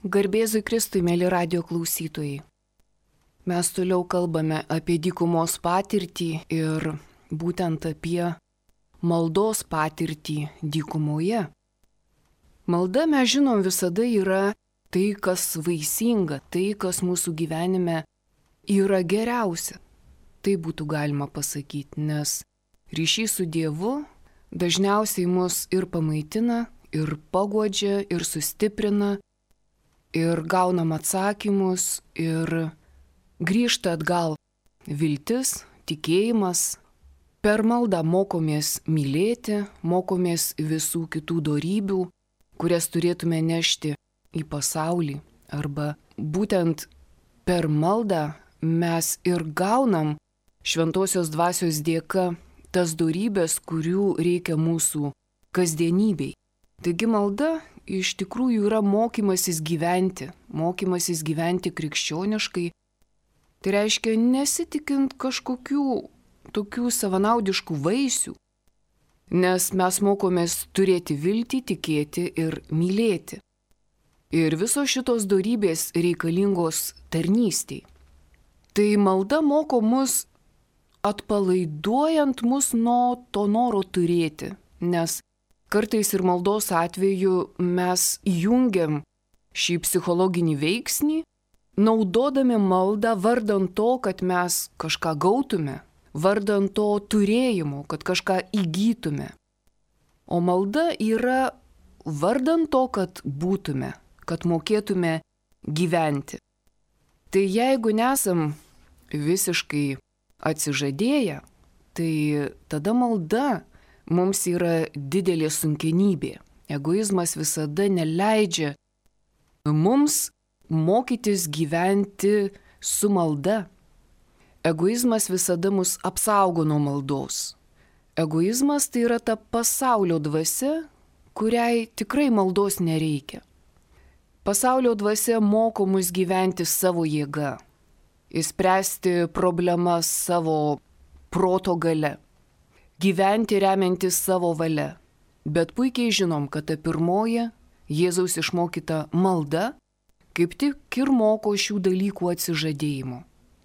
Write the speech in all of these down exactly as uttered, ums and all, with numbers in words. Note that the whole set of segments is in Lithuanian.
Garbėzui Kristui, mėly radio klausytojai. Mes toliau kalbame apie dykumos patirtį ir būtent apie maldos patirtį dykumoje. Malda, mes žinom, visada yra tai, kas vaisinga, tai, kas mūsų gyvenime yra geriausia. Tai būtų galima pasakyti, nes ryšys su Dievu dažniausiai mus ir pamaitina, ir paguodžia, ir sustiprina, ir gaunam atsakymus, ir grįžta atgal viltis, tikėjimas. Per maldą mokomės mylėti, mokomės visų kitų dorybių, kurias turėtume nešti į pasaulį. Arba būtent per maldą mes ir gaunam šventosios dvasios dėka tas dorybės, kurių reikia mūsų kasdienybei. Taigi malda iš tikrųjų yra mokymasis gyventi, mokymasis gyventi krikščioniškai. Tai reiškia nesitikint kažkokių tokių savanaudiškų vaisių, nes mes mokomės turėti viltį, tikėti ir mylėti. Ir visos šitos dorybės reikalingos tarnystei. Tai malda moko mus atpalaiduojant mus nuo to noro turėti, nes kartais ir maldos atveju mes įjungiam šį psichologinį veiksnį, naudodami maldą vardant to, kad mes kažką gautume, vardant to turėjimo, kad kažką įgytume. O malda yra vardant to, kad būtume, kad mokėtume gyventi. Tai jeigu nesam visiškai atsižadėję, tai tada malda mums yra didelė sunkenybė. Egoizmas visada neleidžia mums mokytis gyventi su malda. Egoizmas visada mus apsaugo nuo maldos. Egoizmas tai yra ta pasaulio dvasia, kuriai tikrai maldos nereikia. Pasaulio dvasia moko mus gyventi savo jėga, išspręsti problemas savo proto galia. Gyventi remiantis savo valia. Bet puikiai žinom, kad ta pirmoji Jėzaus išmokyta malda kaip tik ir moko šių dalykų atsižadėjimo.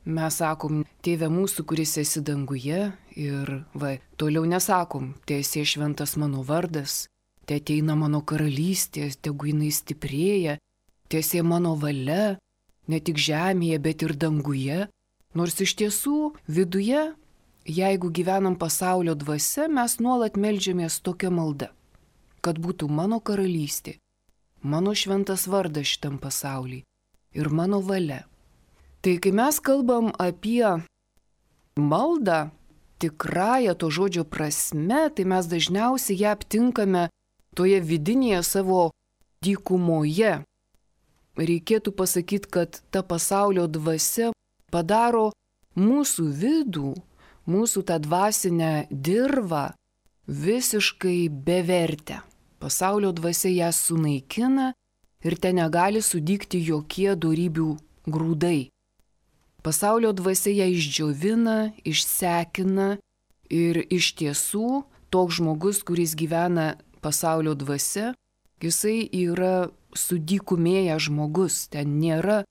Mes sakom, Tėve mūsų, kuris esi danguje, ir va, toliau nesakom, Teesie šventas mano vardas, te ateina mano karalystė, tegu jinai stiprėja, Teesie mano valia, ne tik žemėje, bet ir danguje. Nors iš tiesų viduje, jeigu gyvenam pasaulio dvasia, mes nuolat meldžiamės tokia malda, kad būtų mano karalystė, mano šventas vardas šitam pasauliui ir mano valia. Tai kai mes kalbam apie maldą tikrąją to žodžio prasme, tai mes dažniausiai ją aptinkame toje vidinėje savo dykumoje. Reikėtų pasakyti, kad ta pasaulio dvasia padaro mūsų vidų, mūsų tą dvasinę dirvą visiškai bevertę. Pasaulio dvasia ją sunaikina ir ten negali sudygti jokie dorybių grūdai. Pasaulio dvasia ją išdžiovina, išsekina ir iš tiesų toks žmogus, kuris gyvena pasaulio dvasia, jisai yra sudykumėjęs žmogus, ten nėra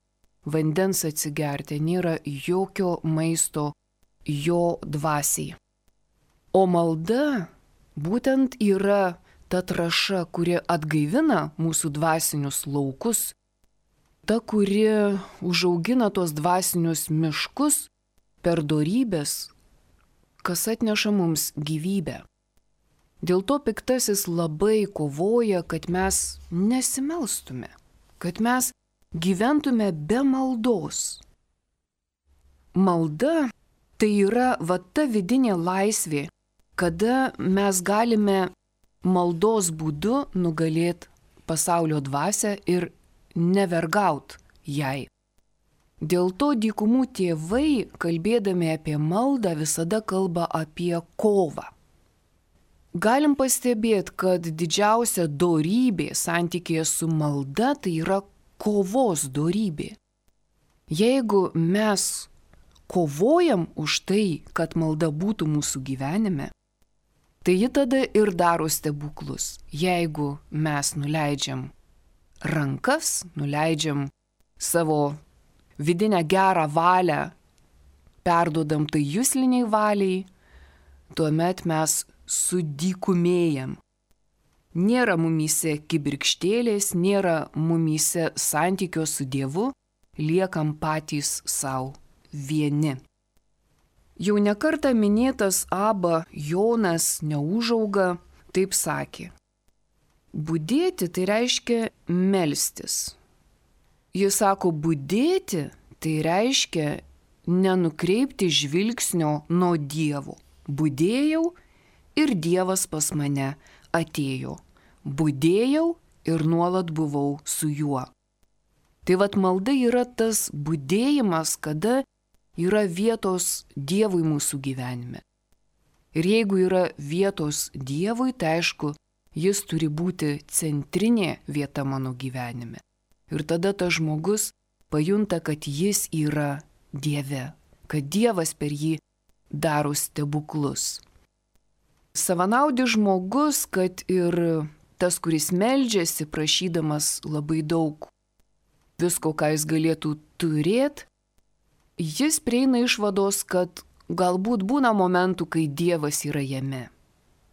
vandens atsigerti, nėra jokio maisto jo dvasiai. O malda būtent yra ta trąša, kuri atgaivina mūsų dvasinius laukus, ta, kuri užaugina tos dvasinius miškus per dorybės, kas atneša mums gyvybę. Dėl to piktasis labai kovoja, kad mes nesimelstume, kad mes gyventume be maldos. Malda tai yra va ta vidinė laisvė, kada mes galime maldos būdu nugalėti pasaulio dvasią ir nevergaut jai. Dėl to dykumų tėvai, kalbėdami apie maldą, visada kalba apie kovą. Galim pastebėti, kad didžiausia dorybė santykėje su malda tai yra kovos dorybė. Jeigu mes kovojam už tai, kad malda būtų mūsų gyvenime, tai ji tada ir daro stebuklus. Jeigu mes nuleidžiam rankas, nuleidžiam savo vidinę gerą valią, perduodam tai jusliniai valiai, tuomet mes sudykumėjam. Nėra mumyse kibirkštėlės, nėra mumyse santykio su Dievu, liekam patys savo vieni. Jau nekartą minėtas Aba Jonas Neūžauga taip sakė. Budėti tai reiškia melstis. Jis sako, budėti tai reiškia nenukreipti žvilgsnio nuo Dievo. Budėjau ir Dievas pas mane atėjo. Budėjau ir nuolat buvau su juo. Tai vat malda yra tas budėjimas, kada yra vietos Dievui mūsų gyvenime. Ir jeigu yra vietos Dievui, tai aišku, jis turi būti centrinė vieta mano gyvenime. Ir tada tas žmogus pajunta, kad jis yra Dieve, kad Dievas per jį daro stebuklus. Savanaudis žmogus, kad ir tas, kuris meldžiasi, prašydamas labai daug visko, ką jis galėtų turėti, jis prieina išvados, kad galbūt būna momentų, kai Dievas yra jame.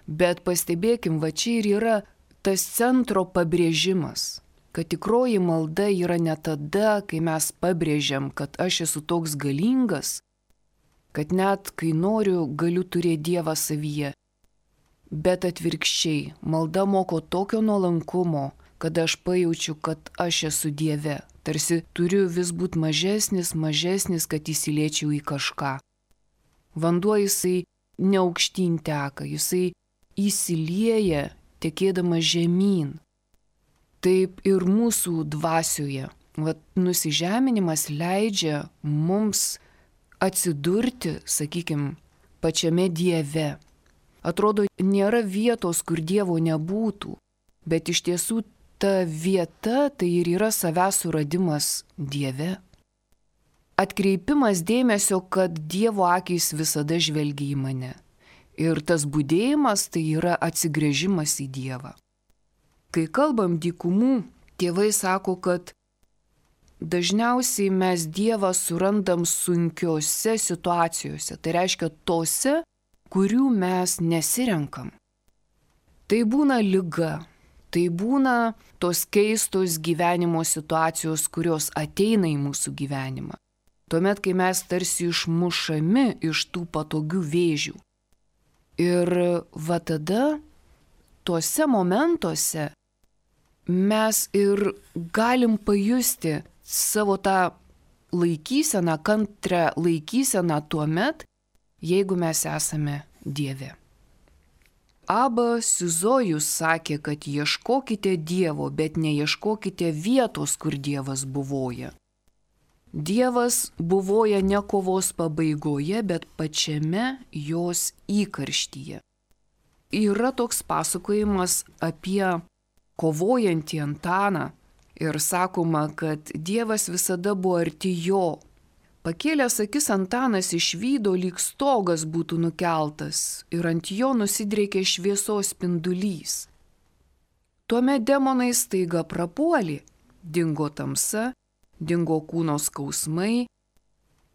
Bet pastebėkim, va čia ir yra tas centro pabrėžimas, kad tikroji malda yra ne tada, kai mes pabrėžiam, kad aš esu toks galingas, kad net kai noriu, galiu turėti Dievą savyje. Bet atvirkščiai, malda moko tokio nuolankumo, kad aš pajaučiu, kad aš esu Dieve. Tarsi turiu vis būti mažesnis, mažesnis, kad įsiliečiau į kažką. Vanduo jisai neaukštyn teka, jisai įsilieja, tekėdamas žemyn. Taip ir mūsų dvasioje. Vat nusižeminimas leidžia mums atsidurti, sakykime, pačiame Dieve. Atrodo, nėra vietos, kur Dievo nebūtų, bet iš tiesų ta vieta tai ir yra savęs suradimas Dieve. Atkreipimas dėmesio, kad Dievo akys visada žvelgia į mane. Ir tas budėjimas tai yra atsigręžimas į Dievą. Kai kalbam dykumų, tėvai sako, kad dažniausiai mes Dievą surandam sunkiose situacijose. Tai reiškia tose, kurių mes nesirenkam. Tai būna liga, tai būna tos keistos gyvenimo situacijos, kurios ateina į mūsų gyvenimą. Tuomet, kai mes tarsi išmušami iš tų patogių vėžių. Ir va tada, tuose momentuose, mes ir galim pajusti savo tą laikyseną, kantrią laikyseną tuomet, jeigu mes esame Dieve. Aba Sizojus sakė, kad ieškokite Dievo, bet neieškokite vietos, kur Dievas buvoja. Dievas buvoja ne kovos pabaigoje, bet pačiame jos įkarštyje. Yra toks pasakojimas apie kovojantį Antaną ir sakoma, kad Dievas visada buvo arti jo. Pakėlęs akis Antanas išvydo, lyg stogas būtų nukeltas ir ant jo nusidriekė šviesos spindulys. Tuomet demonai staiga prapuolė, dingo tamsa, dingo kūno skausmai,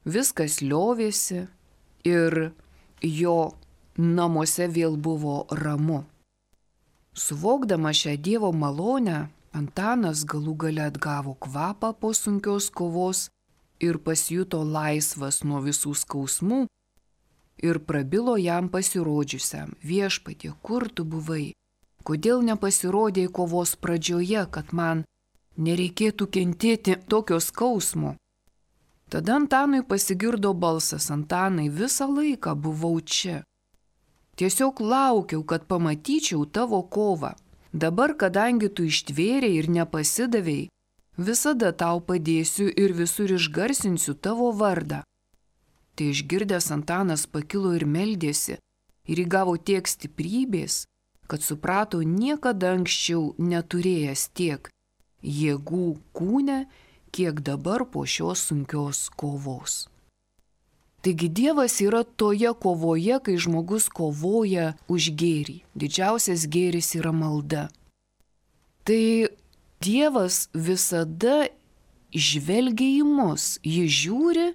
viskas liovėsi ir jo namuose vėl buvo ramu. Suvokdama šią Dievo malonę, Antanas galų gale atgavo kvapą po sunkios kovos ir pasijuto laisvas nuo visų skausmų ir prabilo jam pasirodžiusiam: Viešpatie, kur tu buvai? Kodėl nepasirodėjai kovos pradžioje, kad man nereikėtų kentėti tokio skausmo? Tada Antanui pasigirdo balsas: Antanai, visą laiką buvau čia. Tiesiog laukiau, kad pamatyčiau tavo kovą. Dabar, kadangi tu ištvėrei ir nepasidavei, visada tau padėsiu ir visur išgarsinsiu tavo vardą. Tai išgirdęs Antanas pakilo ir meldėsi ir įgavo tiek stiprybės, kad suprato niekada anksčiau neturėjęs tiek jėgų kūne, kiek dabar po šios sunkios kovos. Taigi Dievas yra toje kovoje, kai žmogus kovoja už gėrį. Didžiausias gėris yra malda. Tai Dievas visada žvelgia į mus, jis žiūri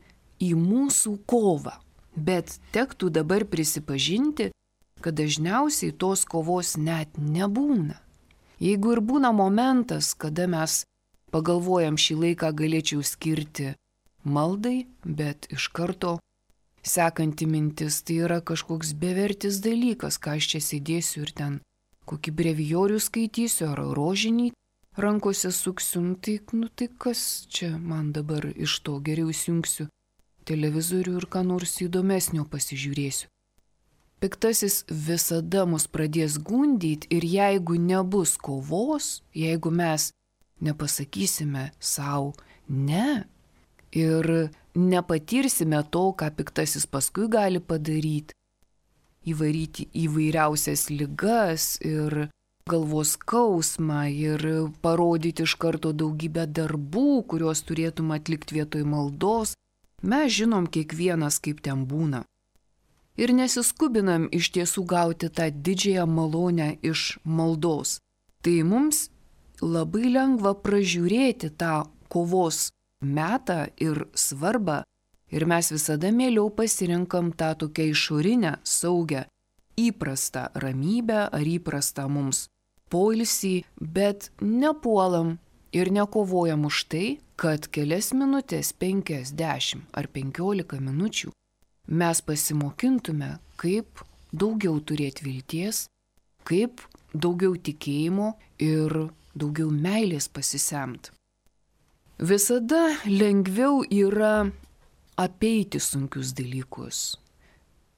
į mūsų kovą. Bet tektų dabar prisipažinti, kad dažniausiai tos kovos net nebūna. Jeigu ir būna momentas, kada mes pagalvojam, šį laiką galėčiau skirti maldai, bet iš karto sekanti mintis, tai yra kažkoks bevertis dalykas, ką aš čia sėdėsiu ir ten kokį brevijorių skaitysiu ar rožinį rankose suksiu, tai, nu, tai kas čia man dabar iš to, geriau įsijungsiu televizorių ir ką nors įdomesnio pasižiūrėsiu. Piktasis visada mus pradės gundyti ir jeigu nebus kovos, jeigu mes nepasakysime savo ne ir nepatirsime to, ką piktasis paskui gali padaryti, įvaryti įvairiausias ligas ir galvos skausmą ir parodyti iš karto daugybę darbų, kuriuos turėtum atlikti vietoj maldos, mes žinom kiekvienas, kaip ten būna. Ir nesiskubinam iš tiesų gauti tą didžiąją malonę iš maldos. Tai mums labai lengva pražiūrėti tą kovos metą ir svarbą ir mes visada mieliau pasirinkam tą tokią išorinę, saugią, įprastą ramybę ar įprastą mums poilsį, bet nepuolam ir nekovojam už tai, kad kelias minutės, penkias, dešimt ar penkiolika minučių mes pasimokintume, kaip daugiau turėti vilties, kaip daugiau tikėjimo ir daugiau meilės pasisemt. Visada lengviau yra apeiti sunkius dalykus.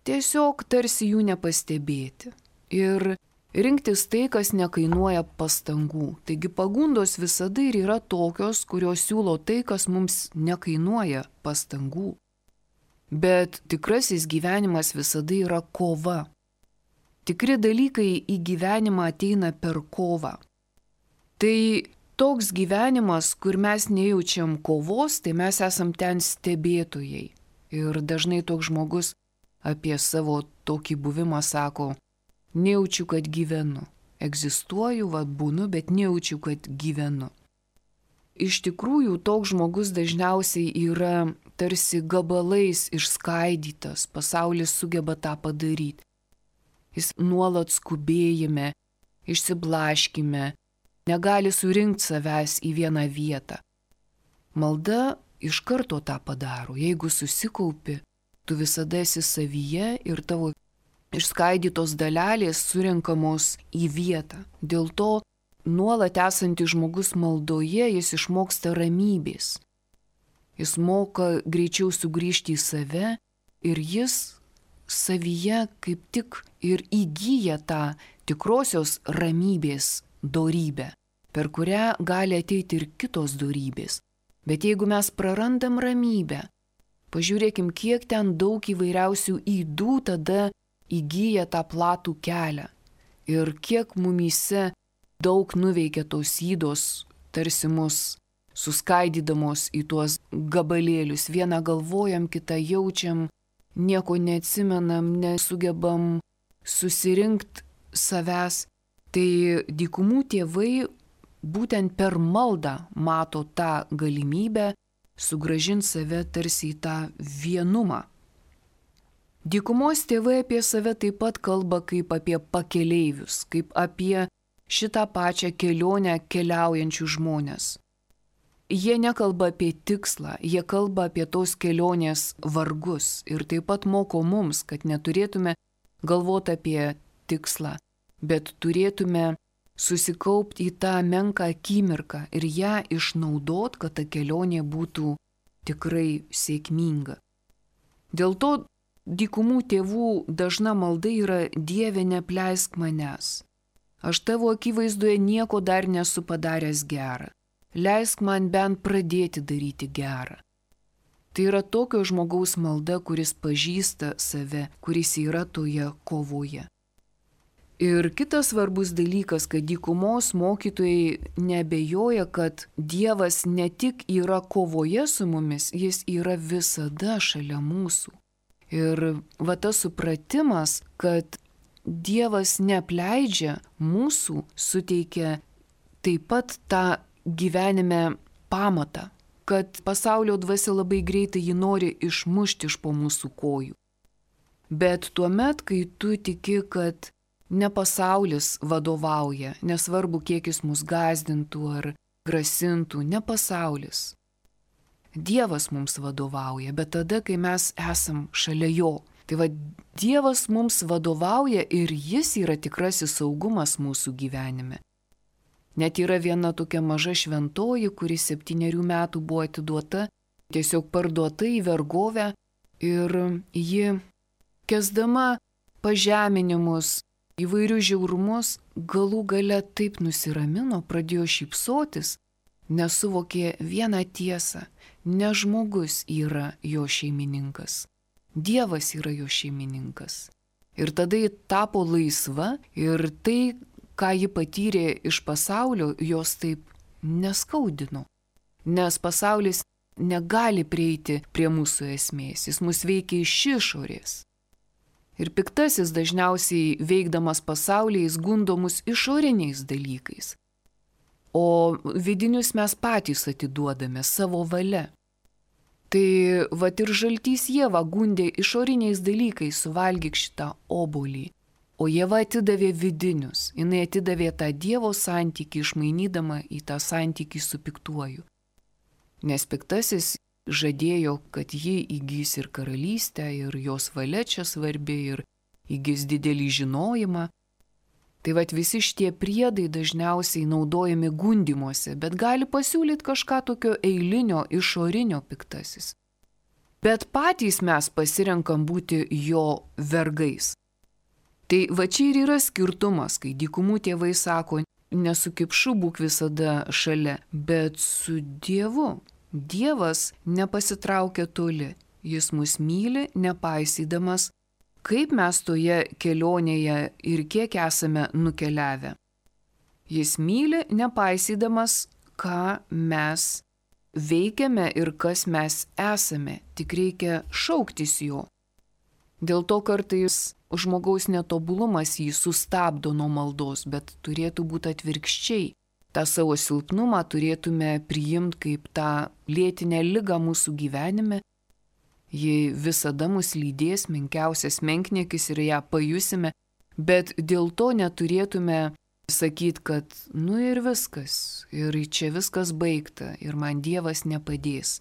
Tiesiog tarsi jų nepastebėti ir rinktis tai, kas nekainuoja pastangų. Taigi pagundos visada ir yra tokios, kurios siūlo tai, kas mums nekainuoja pastangų. Bet tikrasis gyvenimas visada yra kova. Tikri dalykai į gyvenimą ateina per kovą. Tai toks gyvenimas, kur mes nejaučiam kovos, tai mes esam ten stebėtojai. Ir dažnai toks žmogus apie savo tokį buvimą sako, nejaučiu, kad gyvenu. Egzistuoju, vad būnu, bet nejaučiu, kad gyvenu. Iš tikrųjų, toks žmogus dažniausiai yra tarsi gabalais išskaidytas, pasaulis sugeba tą padaryti. Jis nuolat skubėjime, išsiblaškime, negali surinkti savęs į vieną vietą. Malda iš karto tą padaro. Jeigu susikaupi, tu visada esi savyje ir tavo išskaidytos dalelės surinkamos į vietą. Dėl to nuolat esantis žmogus maldoje, jis išmoksta ramybės. Jis moka greičiau sugrįžti į save ir jis savyje kaip tik ir įgyja tą tikrosios ramybės dorybę, per kurią gali ateiti ir kitos dorybės. Bet jeigu mes prarandam ramybę, pažiūrėkim, kiek ten daug įvairiausių ydų tada įgyja tą platų kelią. Ir kiek mumyse daug nuveikia tos ydos, tarsi mus suskaidydamos į tuos gabalėlius. Vieną galvojam, kitą jaučiam, nieko neatsimenam, nesugebam susirinkti savęs. Tai dykumų tėvai būtent per maldą mato tą galimybę sugrąžinti save tarsi į tą vienumą. Dykumos tėvai apie save taip pat kalba kaip apie pakeleivius, kaip apie šitą pačią kelionę keliaujančių žmonės. Jie nekalba apie tikslą, jie kalba apie tos kelionės vargus ir taip pat moko mums, kad neturėtume galvoti apie tikslą, bet turėtume susikaupti į tą menką akimirką ir ją išnaudot, kad ta kelionė būtų tikrai sėkminga. Dėl to dykumų tėvų dažna malda yra Dieve, neapleisk manęs. Aš tavo akivaizdoje nieko dar nesu padaręs gerą. Leisk man bent pradėti daryti gerą. Tai yra tokio žmogaus malda, kuris pažįsta save, kuris yra toje kovoje. Ir kitas svarbus dalykas, kad dykumos mokytojai neabejoja, kad Dievas ne tik yra kovoje su mumis, jis yra visada šalia mūsų. Ir va tas supratimas, kad Dievas neapleidžia mūsų, suteikia taip pat tą gyvenime pamatą, kad pasaulio dvasia labai greitai jį nori išmušti iš po mūsų kojų. Bet tuomet, kai tu tiki, kad ne pasaulis vadovauja, nesvarbu, kiek jis mus gąsdintų ar grasintų, ne pasaulis. Dievas mums vadovauja, bet tada, kai mes esam šalia jo. Tai va, Dievas mums vadovauja ir jis yra tikrasis saugumas mūsų gyvenime. Net yra viena tokia maža šventoji, kuri septynerių metų buvo atiduota, tiesiog parduota į vergovę ir ji, kesdama pažeminimus, įvairius žiaurumus, galų gale taip nusiramino, pradėjo šypsotis, nes suvokė vieną tiesą, ne žmogus yra jo šeimininkas, Dievas yra jo šeimininkas. Ir tada ji tapo laisva ir tai, ką ji patyrė iš pasaulio, jos taip neskaudino. Nes pasaulis negali prieiti prie mūsų esmės, jis mus veikia iš išorės. Ir piktasis dažniausiai veikdamas pasaulyje jis gundo mus išoriniais dalykais. O vidinius mes patys atiduodame savo valia. Tai vat ir žaltys Ieva gundė išoriniais dalykais, suvalgyk šitą obuolį. O Ieva atidavė vidinius, jinai atidavė tą Dievo santykį, išmainydama į tą santykį su piktuoju. Nes piktasis žadėjo, kad ji įgys ir karalystę, ir jos valia čia svarbi, ir įgys didelį žinojimą. Tai vat visi šitie priedai dažniausiai naudojami gundymuose, bet gali pasiūlyti kažką tokio eilinio, išorinio piktasis. Bet patys mes pasirenkam būti jo vergais. Tai va čia ir yra skirtumas, kai dykumų tėvai sako, ne su kipšu būk visada šalia, bet su Dievu. Dievas nepasitraukia toli, jis mus myli, nepaisydamas, kaip mes toje kelionėje ir kiek esame nukeliavę. Jis myli, nepaisydamas, ką mes veikiame ir kas mes esame, tik reikia šauktis jo. Dėl to kartais žmogaus netobulumas jį sustabdo nuo maldos, bet turėtų būti atvirkščiai. tą savo silpnumą turėtume priimti kaip tą lėtinę ligą mūsų gyvenime. Ji visada mus lydės, menkiausias menkniekis ir ją pajusime, bet dėl to neturėtume sakyti, kad nu ir viskas, ir čia viskas baigta, ir man Dievas nepadės.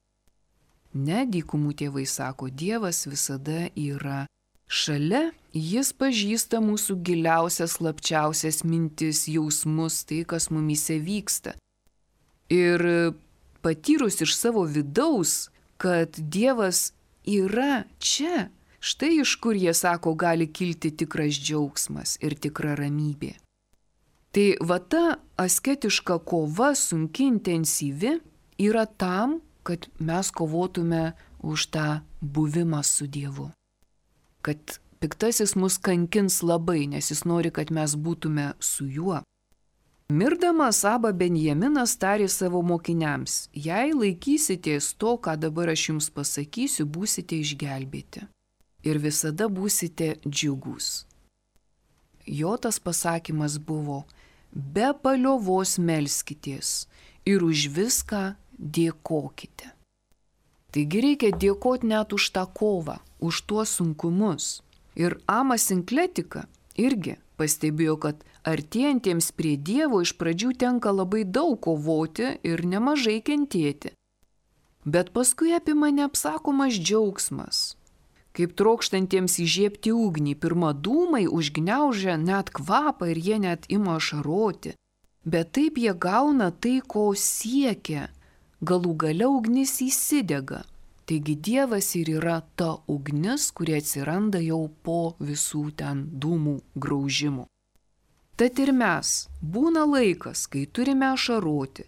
Ne, dykumų tėvai sako, Dievas visada yra šalia, jis pažįsta mūsų giliausias, slapčiausias mintis, jausmus, tai, kas mumyse vyksta. Ir patyrus iš savo vidaus, kad Dievas yra čia, štai iš kur jie sako, gali kilti tikras džiaugsmas ir tikra ramybė. Tai va ta asketiška kova, sunki, intensyvi, yra tam, kad mes kovotume už tą buvimą su Dievu. Kad piktasis mus kankins labai, nes jis nori, kad mes būtume su juo. Mirdamas Aba Benjaminas tarė savo mokiniams, jei laikysitės to, ką dabar aš jums pasakysiu, būsite išgelbėti ir visada būsite džiugus. Jo tas pasakymas buvo, be paliovos melskitės ir už viską dėkokite. Taigi reikia dėkoti net už tą kovą, už tuos sunkumus. Ir Amas Sinkletika irgi pastebėjo, kad artėjantiems prie Dievo iš pradžių tenka labai daug kovoti ir nemažai kentėti. Bet paskui apima neapsakomas džiaugsmas. Kaip trokštantiems įžiebti ugnį, pirma dūmai užgniaužia net kvapą ir jie net ima ašaroti. Bet taip jie gauna tai, ko siekia. Galų gale ugnis įsidega. Taigi Dievas ir yra ta ugnis, kuri atsiranda jau po visų ten dūmų graužimų. Tad ir mes, būna laikas, kai turime ašaroti,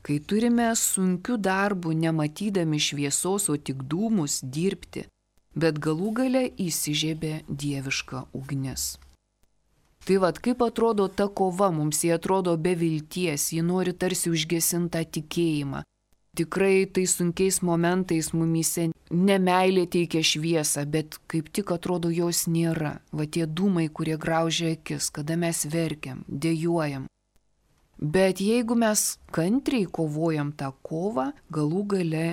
kai turime sunkių darbų nematydami šviesos, o tik dūmus dirbti, bet galų gale įsižiebė dieviška ugnis. Tai vad, kaip atrodo ta kova, mums jie atrodo be vilties, ji nori tarsi užgesintą tikėjimą. Tikrai tai sunkiais momentais mumyse nemeilė teikia šviesą, bet kaip tik atrodo jos nėra. Va tie dūmai, kurie graužia akis, kada mes verkiam, dejuojam. Bet jeigu mes kantriai kovojam tą kovą, galų gale,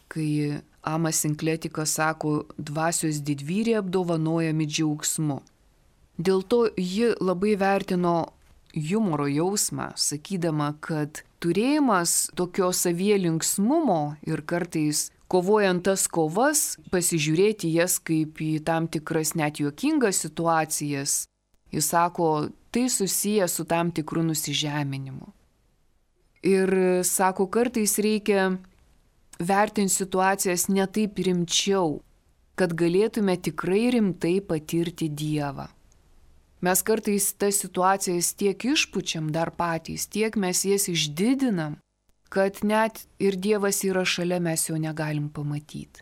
kai Amas Sinkletikas sako, dvasios didvyriai apdovanojami džiaugsmu. Dėl to ji labai vertino humoro jausmą, sakydama, kad turėjimas tokio savie linksmumo ir kartais kovojant tas kovas, pasižiūrėti jas kaip į tam tikras net juokingas situacijas, jis sako, tai susiję su tam tikru nusižeminimu. Ir sako, kartais reikia vertinti situacijas ne taip rimčiau, kad galėtume tikrai rimtai patirti Dievą. Mes kartais tas situacijas tiek išpučiam dar patys, tiek mes jas išdidinam, kad net ir Dievas yra šalia, mes jo negalim pamatyti.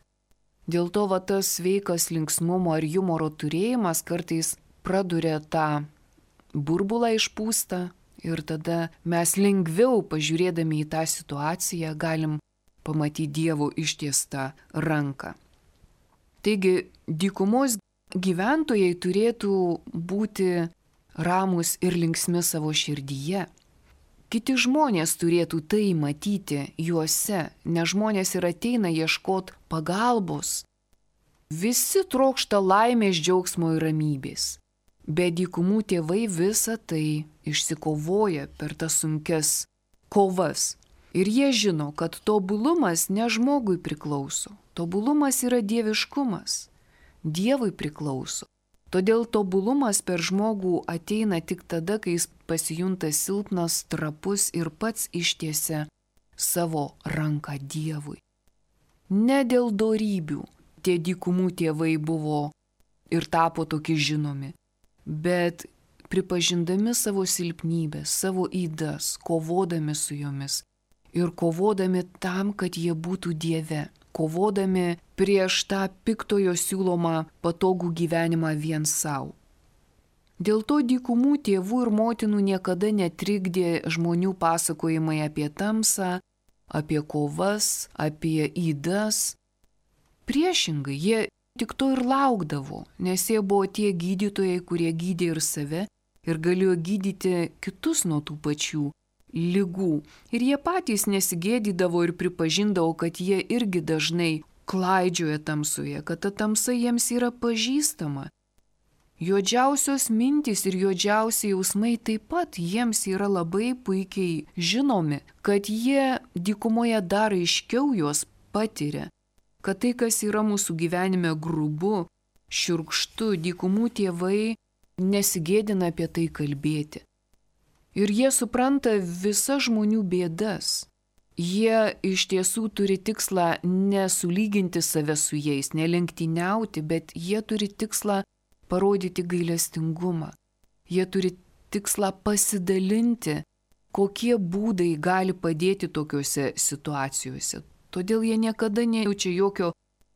Dėl to va tas sveikas linksmumo ir humoro turėjimas kartais praduria tą burbulą išpūstą ir tada mes lengviau pažiūrėdami į tą situaciją galim pamatyti Dievo ištiestą ranką. Taigi, dykumos gyventojai turėtų būti ramūs ir linksmi savo širdyje. Kiti žmonės turėtų tai matyti juose, nes žmonės ir ateina ieškoti pagalbos. Visi trokšta laimės, džiaugsmo ir ramybės. Bet dykumų tėvai visą tai išsikovoja per tas sunkias kovas. Ir jie žino, kad tobulumas ne žmogui priklauso. Tobulumas yra dieviškumas. Dievui priklauso. Todėl tobulumas per žmogų ateina tik tada, kai jis pasijunta silpnas, trapus ir pats ištiesia savo ranką Dievui. Ne dėl dorybių tie dykumų tėvai buvo ir tapo tokie žinomi, bet pripažindami savo silpnybės, savo ydas, kovodami su jomis ir kovodami tam, kad jie būtų Dieve. Kovodami prieš tą piktojo siūlomą patogų gyvenimą vien savo. Dėl to dykumų tėvų ir motinų niekada netrikdė žmonių pasakojimai apie tamsą, apie kovas, apie ydas. Priešingai, jie tik to ir laukdavo, nes jie buvo tie gydytojai, kurie gydė ir save ir galėjo gydyti kitus nuo tų pačių ligų. Ir jie patys nesigėdydavo ir pripažindavo, kad jie irgi dažnai klaidžioja tamsoje, kad ta tamsa jiems yra pažįstama. Juodžiausios mintys ir juodžiausi jausmai taip pat jiems yra labai puikiai žinomi, kad jie dykumoje dar aiškiau juos patiria, kad tai, kas yra mūsų gyvenime grubu, šiurkštu, dykumų tėvai nesigėdina apie tai kalbėti. Ir jie supranta visas žmonių bėdas. Jie iš tiesų turi tikslą nesulyginti save su jais, nelenktyniauti, bet jie turi tikslą parodyti gailestingumą. Jie turi tikslą pasidalinti, kokie būdai gali padėti tokiuose situacijose. Todėl jie niekada nejaučia jokio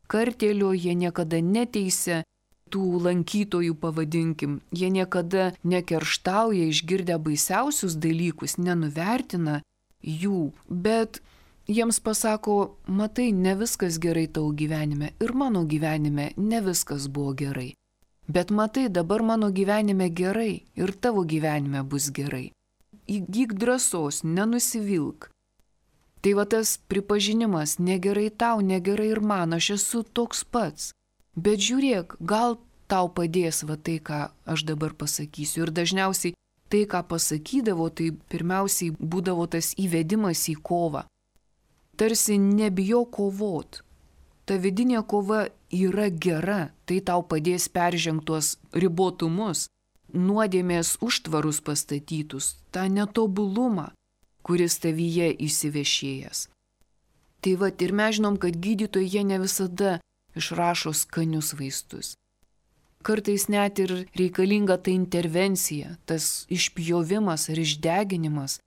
kartėlio, jie niekada neteisia tų lankytojų, pavadinkim, jie niekada nekerštauja išgirdę baisiausius dalykus, nenuvertina jų, bet jiems pasako, matai, ne viskas gerai tavo gyvenime ir mano gyvenime ne viskas buvo gerai. Bet matai, dabar mano gyvenime gerai ir tavo gyvenime bus gerai. Įgyk drąsos, nenusivilk. Tai va tas pripažinimas, negerai tau, negerai ir man, aš esu toks pats. Bet žiūrėk, gal tau padės va tai, ką aš dabar pasakysiu. Ir dažniausiai tai, ką pasakydavo, tai pirmiausiai būdavo tas įvedimas į kovą. Tarsi nebijo kovot. Ta vidinė kova yra gera, tai tau padės peržengtuos ribotumus, nuodėmės užtvarus pastatytus, tą netobulumą, kuris tavyje įsivešėjęs. Tai va, ir mes žinom, kad gydytojai jie ne visada išrašo skanius vaistus. Kartais net ir reikalinga ta intervencija, tas išpjovimas ar išdeginimas.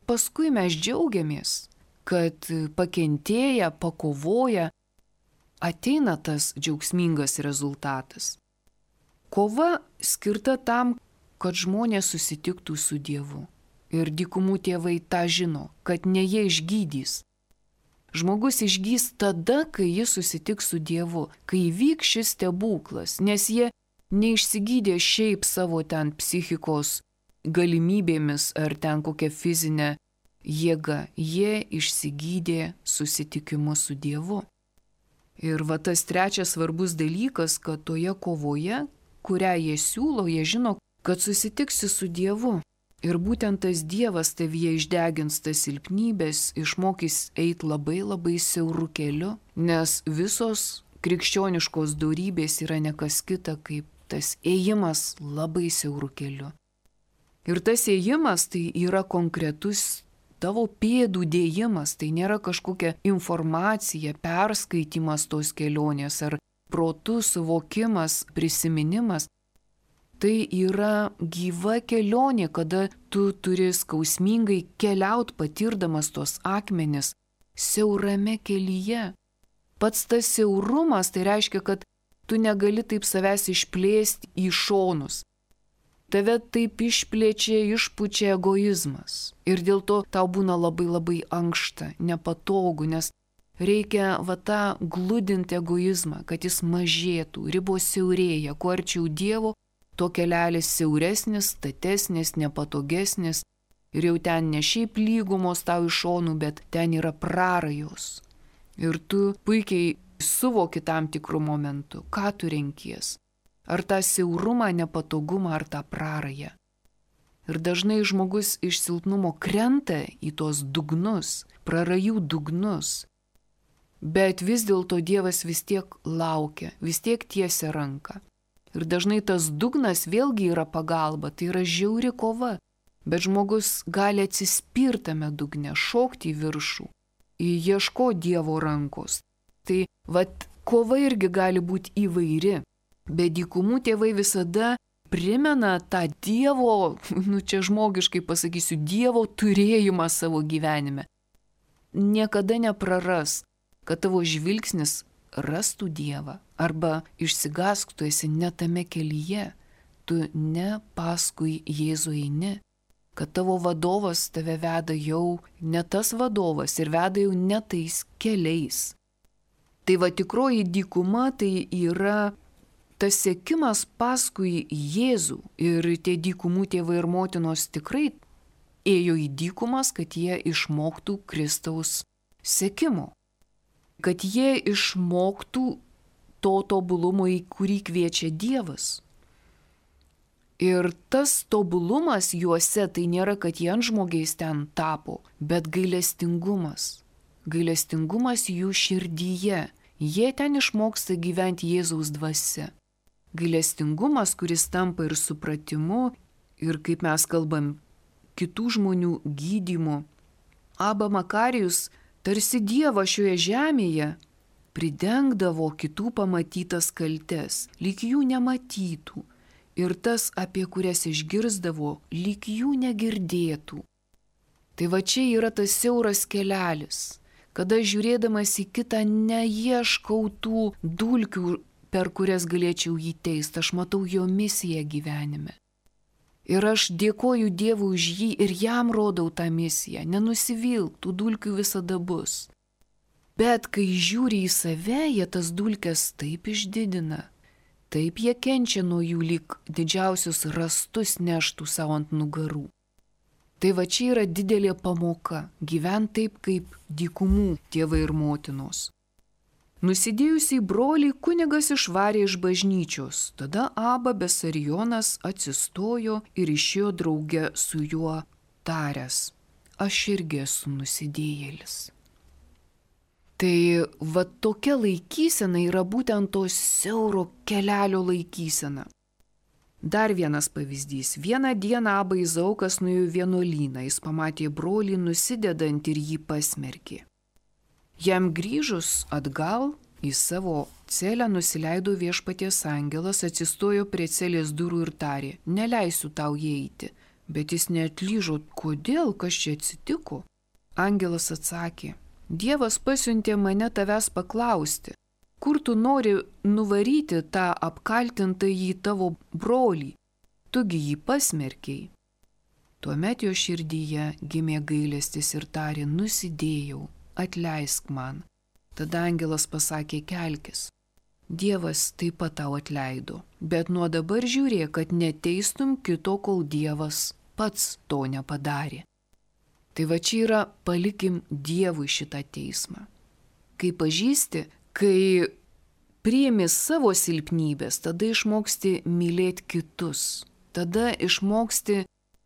Paskui mes džiaugiamės, kad pakentėję, pakovoję, ateina tas džiaugsmingas rezultatas. Kova skirta tam, kad žmonės susitiktų su Dievu. Ir dykumų tėvai tą žino, kad ne jie išgydys. Žmogus išgys tada, kai jis susitiks su Dievu, kai įvyks šis stebuklas, nes jie neišsigydė šiaip savo ten psichikos galimybėmis ar ten kokia fizinė jėga. Jie išsigydė susitikimu su Dievu. Ir va tas trečias svarbus dalykas, kad toje kovoje, kurią jie siūlo, jie žino, kad susitiksi su Dievu. Ir būtent tas Dievas tavyje išdegins tas silpnybės, išmokys eiti labai labai siauru keliu, nes visos krikščioniškos dorybės yra nekas kita kaip tas ėjimas labai siauru keliu. Ir tas ėjimas tai yra konkretus tavo pėdų dėjimas, tai nėra kažkokia informacija, perskaitimas tos kelionės ar protų suvokimas, prisiminimas. Tai yra gyva kelionė, kada tu turi skausmingai keliaut patirdamas tos akmenis siaurame kelyje. Pats tas siaurumas tai reiškia, kad tu negali taip savęs išplėsti į šonus. Tave taip išplečia, išpučia egoizmas. Ir dėl to tau būna labai labai ankšta, nepatogu, nes reikia va tą gludinti egoizmą, kad jis mažėtų, ribos siaurėja, kuo arčiau Dievo, to kelelis siauresnis, statesnis, nepatogesnis. Ir jau ten ne šiaip lygumos tau iš šonų, bet ten yra prarajos. Ir tu puikiai suvoki tam tikrų momentų, ką tu renkies. Ar tą siaurumą, nepatogumą, ar tą prarają. Ir dažnai žmogus iš silpnumo krenta į tos dugnus, prarajų dugnus. Bet vis dėlto Dievas vis tiek laukia, vis tiek tiesia ranką. Ir dažnai tas dugnas vėlgi yra pagalba, tai yra žiauri kova. Bet žmogus gali atsispirtame dugne, šokti į viršų, ieško Dievo rankos. Tai vat kova irgi gali būti įvairi. Bet dykumų tėvai visada primena tą Dievo, nu čia žmogiškai pasakysiu, Dievo turėjimą savo gyvenime. Niekada nepraras, kad tavo žvilgsnis rastų Dievą. Arba išsigask, tu esi ne tame kelyje, tu ne paskui Jėzų eini. Kad tavo vadovas tave veda jau ne tas vadovas ir veda jau ne tais keliais. Tai va tikroji dykuma tai yra tas sekimas paskui Jėzų. Ir tie dykumų tėvai ir motinos tikrai ėjo į dykumas, kad jie išmoktų Kristaus sekimo. Kad jie išmoktų to tobulumo, į kurį kviečia Dievas. Ir tas tobulumas juose tai nėra, kad jie antžmogiais ten tapo, bet gailestingumas. Gailestingumas jų širdyje. Jie ten išmoksta gyventi Jėzaus dvasia. Gailestingumas, kuris tampa ir supratimu, ir kaip mes kalbam, kitų žmonių gydymu. Abba Makarijus tarsi Dievą šioje žemėje pridengdavo kitų pamatytas kaltes, lyg jų nematytų. Ir tas, apie kurias išgirsdavo, lyg jų negirdėtų. Tai va čia yra tas siauras kelelis, kada žiūrėdamas į kitą neieškau tų dulkių, per kurias galėčiau jį teisti, aš matau jo misiją gyvenime. Ir aš dėkoju Dievui už jį ir jam rodau tą misiją, nenusivilk, tų dulkių visada bus. Bet kai žiūri į save, jie tas dulkes taip išdidina. Taip jie kenčia nuo jų, lyg didžiausius rastus neštų savo ant nugarų. Tai va čia yra didelė pamoka – gyventi taip kaip dykumų tėvai ir motinos. Nusidėjusiai brolį kunigas išvarė iš bažnyčios, tada Abba Besarijonas atsistojo ir išėjo drauge su juo taręs: aš irgi esu nusidėjėlis. Tai va tokia laikysena yra būtent to siauro kelelio laikysena. Dar vienas pavyzdys. Vieną dieną Abba Izaukas nuėjo vienuolyną, jis pamatė brolį nusidedant ir jį pasmerkė. Jam grįžus atgal į savo celę nusileido viešpaties angelas, atsistojo prie celės durų ir tarė: neleisiu tau įeiti. Bet jis neatlyžo, kodėl, kas čia atsitiko. Angelas atsakė: Dievas pasiuntė mane tavęs paklausti, kur tu nori nuvaryti tą apkaltintąjį tavo brolį, tugi jį pasmerkei. Tuomet jo širdyje gimė gailestis ir tarė: nusidėjau, atleisk man. Tada angelas pasakė: kelkis. Dievas taip pat tau atleido, bet nuo dabar žiūrėk, kad neteistum kito, kol Dievas pats to nepadarė. Tai va čia yra palikim Dievui šitą teismą. Kai pažįsti, kai priimi savo silpnybės, tada išmoksti mylėti kitus. Tada išmoksti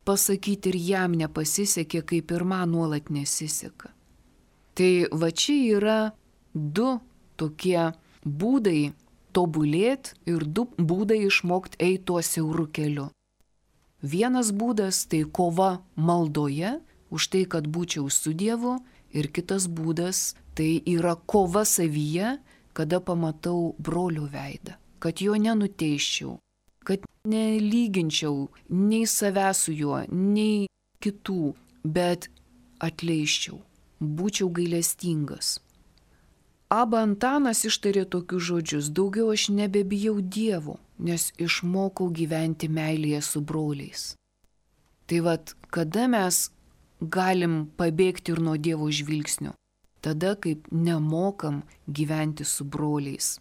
pasakyti ir jam nepasisekė, kaip ir man nuolat nesiseka. Tai va čia yra du tokie būdai tobulėti ir du būdai išmokti eiti tuo siauru keliu. Vienas būdas tai kova maldoje už tai, kad būčiau su Dievu, ir kitas būdas tai yra kova savyje, kada pamatau brolio veidą, kad jo nenuteiščiau, kad nelyginčiau nei savęs su juo, nei kitų, bet atleiščiau, būčiau gailestingas. Aba Antanas ištarė tokius žodžius: daugiau aš nebebijau Dievo, nes išmokau gyventi meilėje su broliais. Tai vat, kada mes galim pabėgti ir nuo Dievo žvilgsnio? Tada, kaip nemokam gyventi su broliais.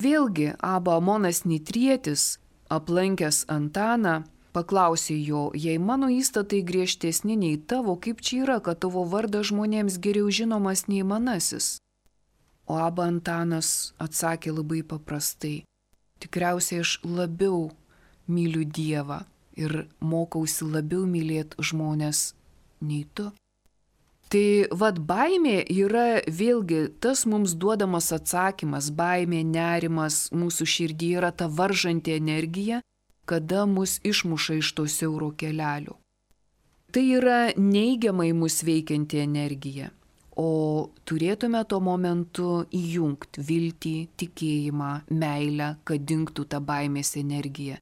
Vėlgi, Aba Amonas Nitrietis, aplankęs Antaną, paklausė jo: jei mano įstatai griežtesni nei tavo, kaip čia yra, kad tavo vardas žmonėms geriau žinomas nei manasis? O Aba Antanas atsakė labai paprastai: tikriausiai aš labiau myliu Dievą ir mokausi labiau mylėti žmonės nei tu. Tai vad baimė yra vėlgi tas mums duodamas atsakymas, baimė, nerimas mūsų širdyje yra ta varžanti energija, kada mus išmuša iš to siauro kelelio. Tai yra neigiamai mus veikianti energija, o turėtume tuo momentu įjungti viltį, tikėjimą, meilę, kad dingtų ta baimės energija.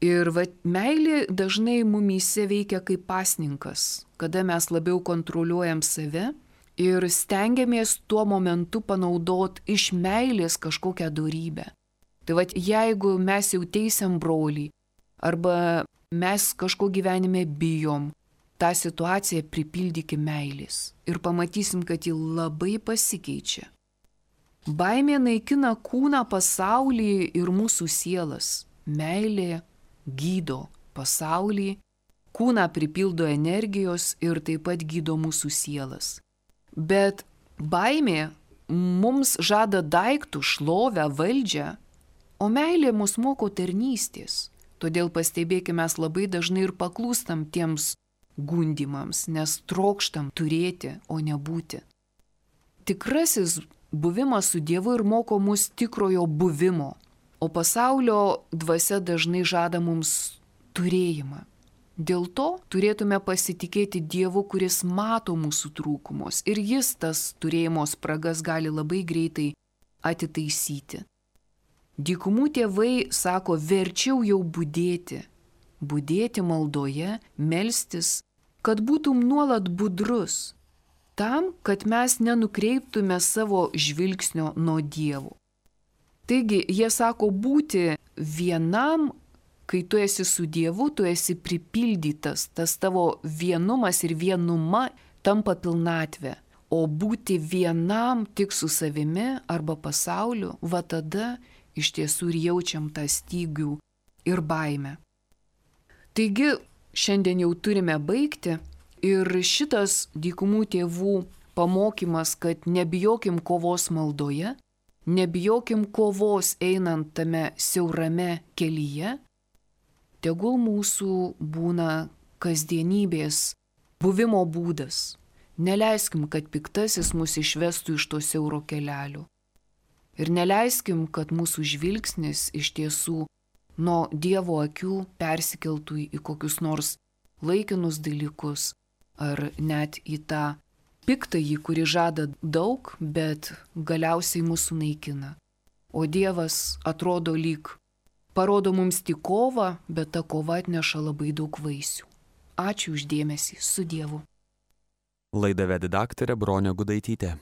Ir va, meilė dažnai mumyse veikia kaip pasninkas, kada mes labiau kontroliuojam save ir stengiamės tuo momentu panaudoti iš meilės kažkokią dorybę. Tai va, jeigu mes jau teisiam brolį arba mes kažko gyvenime bijom, tą situaciją pripildykim meilės ir pamatysim, kad ji labai pasikeičia. Baimė naikina kūną, pasaulį ir mūsų sielas. Meilė gydo pasaulį, kūną pripildo energijos ir taip pat gydo mūsų sielas. Bet baimė mums žada daiktų, šlovę, valdžią, o meilė mus moko tarnystės. Todėl pastebėkime, mes labai dažnai ir paklūstam tiems gundimams, nes trokštam turėti, o nebūti. Tikrasis buvimas su Dievu ir moko mus tikrojo buvimo. O pasaulio dvasia dažnai žada mums turėjimą. Dėl to turėtume pasitikėti Dievu, kuris mato mūsų trūkumus ir jis tas turėjimo spragas gali labai greitai atitaisyti. Dykumų tėvai sako, verčiau jau budėti, budėti maldoje, melstis, kad būtum nuolat budrus, tam, kad mes nenukreiptume savo žvilgsnio nuo Dievo. Taigi, jie sako, būti vienam, kai tu esi su Dievu, tu esi pripildytas, tas tavo vienumas ir vienuma tampa pilnatvė. O būti vienam tik su savimi arba pasauliu, va tada iš tiesų ir jaučiam tą stygių ir baimę. Taigi, šiandien jau turime baigti ir šitas dykumų tėvų pamokymas, kad nebijokim kovos maldoje, nebijokim kovos einant tame siaurame kelyje, tegul mūsų būna kasdienybės buvimo būdas. Neleiskim, kad piktasis mus išvestų iš to siauro kelelio. Ir neleiskim, kad mūsų žvilgsnis iš tiesų nuo Dievo akių persikeltų į kokius nors laikinus dalykus ar net į tą piktąjį, kuri žada daug, bet galiausiai mūsų naikina. O Dievas atrodo lyg parodo mums tik kovą, bet ta kova atneša labai daug vaisių. Ačiū už dėmesį, su Dievu. Laidą vedė daktarė Bronė Gudaitytė.